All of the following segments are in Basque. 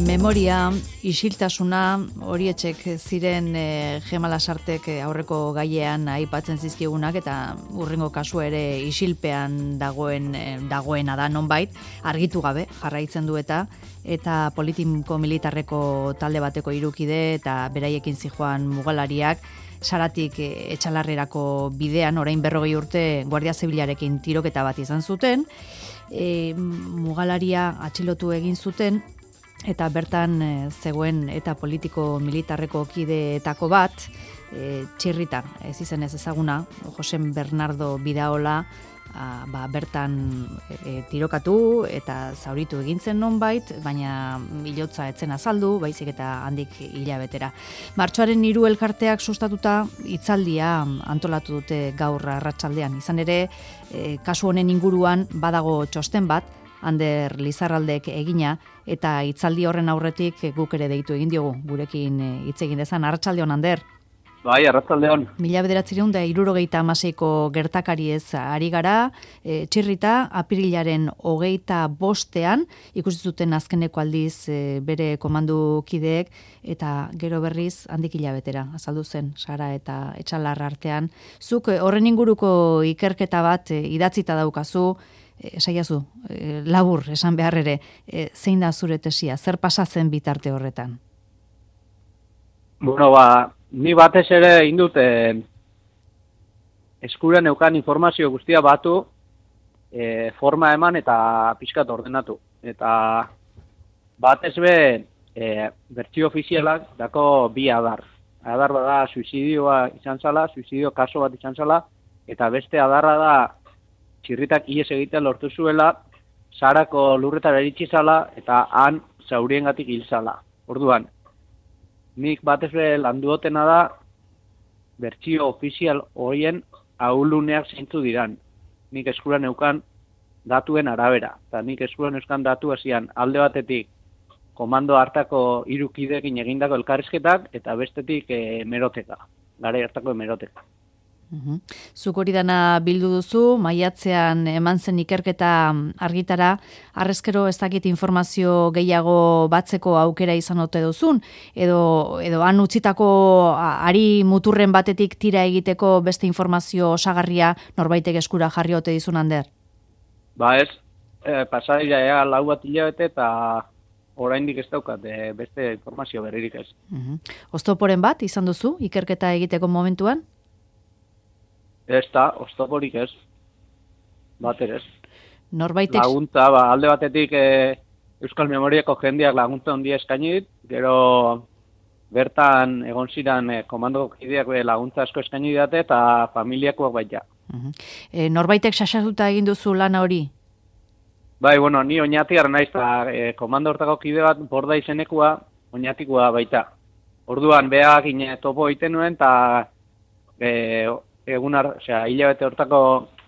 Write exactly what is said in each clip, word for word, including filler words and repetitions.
Memoria, isiltasuna, horietxek ziren e, Gema Lasartek aurreko gaiean aipatzen zizkigunak eta urrengo kasu ere isilpean dagoen e, dagoena da nonbait, argitu gabe jarraitzen du eta eta politiko militarreko talde bateko hirukide eta beraiekin zijoan mugalariak Saratik e, etxalarrerako bidean orain berrogei urte Guardia Zibilarekin tiroketa bat izan zuten, e, mugalaria atxilotu egin zuten, eta bertan e, zegoen eta politiko militarreko kideetako bat, e, txirrita, ez izen ez ezaguna, Josen Bernardo Bidaola, a, ba, bertan e, tirokatu eta zauritu egintzen nonbait, baina hilotza etzen azaldu, baizik eta handik hilabetera. Martxoaren hiru elkarteak sustatuta hitzaldia antolatu dute gaur arratsaldean. Izan ere, e, kasu honen inguruan badago txosten bat, Ander Lizarraldek egina, eta hitzaldi horren aurretik guk ere deitu egin diogu, gurekin hitz egin dezan. Arratsaldeon, Ander. Bai, arratsaldeon. Mila bederatziehun eta hirurogeita hamaseiko gertakariez ari gara, e, txirrita apirilaren hogeita bostean, ikusi zuten azkeneko aldiz e, bere komandukideek, eta gero berriz handik hilabetera, azaldu zen, Sara eta Etxalar artean. Zuk horren inguruko ikerketa bat e, idatzita daukazu, esaiazu, e, labur, esan behar ere, e, zein da zure tesia, zer pasatzen bitarte horretan? Bueno, ba, ni batez ere indut e, eskura neukan informazio guztia batu, e, forma eman eta pixkat ordenatu. Eta batez be, e, bertsio ofizialak dako bi adar. Adar da suizidioa izan zala, suizidio kaso bat izan zala, eta beste adarra da txirritak ihes egitea lortu zuela, Sarako lurretara iritsi zala eta han zauriengatik hil zala. Orduan, nik batez be landuotena da bertsio ofizial horien ahuluneak zeintzu diran. Nik eskura neukan datuen arabera. Eta nik eskura neuzkan datu hasian alde batetik komando hartako hirukideekin egindako elkarrizketak eta bestetik e, meroteka. Garai hartako meroteka. Uhum. Zuk hori dana bildu duzu, maiatzean eman zen ikerketa argitara, arrezkero ez dakit informazio gehiago batzeko aukera izan ote duzun, edo, edo han utzitako ari muturren batetik tira egiteko beste informazio osagarria norbaitek eskura jarri ote dizun, Ander? Ba ez, e, pasaria ea lau bat hilabete eta oraindik ez daukat e, beste informazio berririk ez. Uhum. Oztoporen bat izan duzu ikerketa egiteko momentuan? Ez da, oztoporik ez, bater ez. Norbaitek... Laguntza, ba, alde batetik e, Euskal Memoriako jendeak laguntza ondia eskainit, gero bertan egon ziren e, komandoko kideak e, laguntza asko eskaini date eta familiakoak baita. Uh-huh. E, norbaitek sasatuta egin duzu lana hori? Bai, bueno, ni oñatiar naiz, eta e, komando hortako kide bat borda izenekua oñatikoa baita. Orduan, beak ine topo egiten nuen, eta e, egun, osea, hilabete hortako,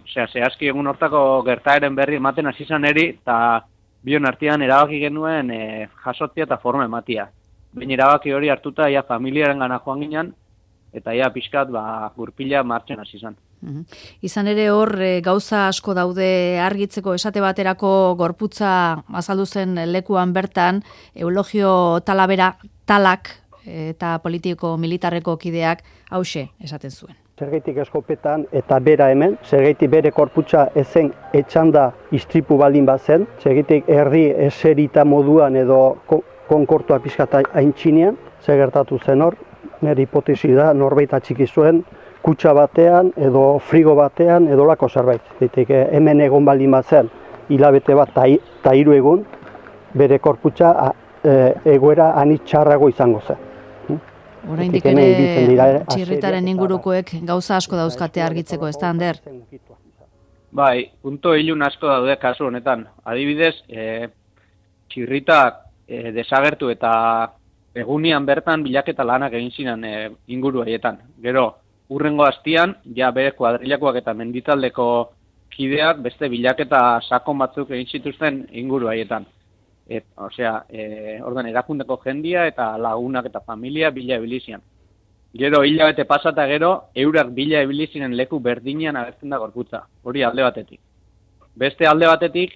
osea, zehazki egun hortako gertaeren berri ematen hasi izan eri, eta bion artean erabaki genuen e, jasotzia eta forma ematia. Baina erabaki hori hartuta, ja, familiaren gana joan ginen, eta ja, pixkat, ba, gurpila martxen hasi izan. Uhum. Izan ere hor e, gauza asko daude argitzeko, esate baterako gorputza azaldu zen lekuan bertan, Eulogio Talavera Talak eta politiko militarreko kideak hauxe esaten zuen. Zergaitik eskopetan eta bera hemen, zergaitik bere korputza ezen etxanda istripu baldin bazen, zergaitik herri eserita moduan edo konkortua pixkata haintxinean, zer gertatu zen hor, nire hipotesi da norbait atxiki zuen, kutsa batean edo frigo batean edo lako zerbait. Zergaitik hemen egon baldin bazen, hilabete bat eta hiru egun, bere korputza e, egoera anitz txarrago izango zen. Oraindik ere txirritaren ingurukoek gauza asko dauzkate argitzeko, ez da, Ander? Bai, punto ilun asko daude kasu honetan. Adibidez, e, txirritak e, desagertu eta egunian bertan bilaketa lanak egin ziren e, inguru haietan. Gero, urrengo hastian, ja bere kuadrilakoak eta menditaldeko kideak beste bilaketa sakon batzuk egin zituzten inguru haietan. Et, osea, e, ordan erakundeko jendia eta lagunak eta familia bila ebilizian. Gero, hilabete pasata gero, eurak bila ebilizinen leku berdinean agertzen da gorputza. Hori alde batetik. Beste alde batetik,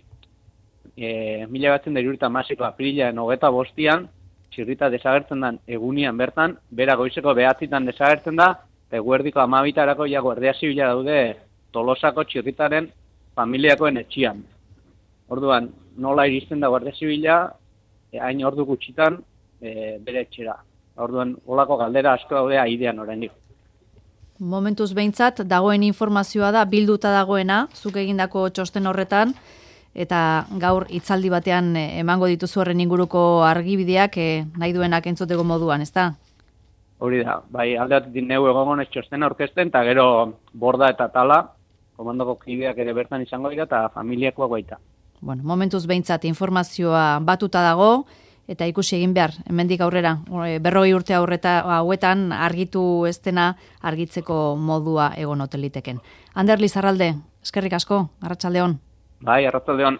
e, mila batzen da hirurogeita hamaseiko apirilean hogeta bostian, txirrita desagertzen den egunian bertan, bera goizeko behatzitan desagertzen da, eta eguerdiko amabitarako ja guardia zibila daude Tolosako txirritaren familiakoen etxian. Orduan, nola iristen da guardia zibila, e, hain ordu gutxitan e, bere etxera. Orduan, holako galdera asko daude aidean oraindik. Momentuz behintzat, dagoen informazioa da, bilduta dagoena, zuk egindako txosten horretan, eta gaur hitzaldi batean emango dituzu horren inguruko argibideak eh, nahi duenak entzuteko moduan, ezta? Hori da, bai aldeatik neu egongonez txosten aurkezten, eta gero borda eta tala, komandoko kideak ere bertan izango dira, eta familiakoak baita. Bueno, momentuz behintzat informazioa batuta dago, eta ikusi egin behar, hemendik aurrera, berrogei urte aurreta hauetan argitu ez dena argitzeko modua egon oteliteken. Ander Lizarralde, eskerrik asko, arratsaldeon. Bai, arratsaldeon.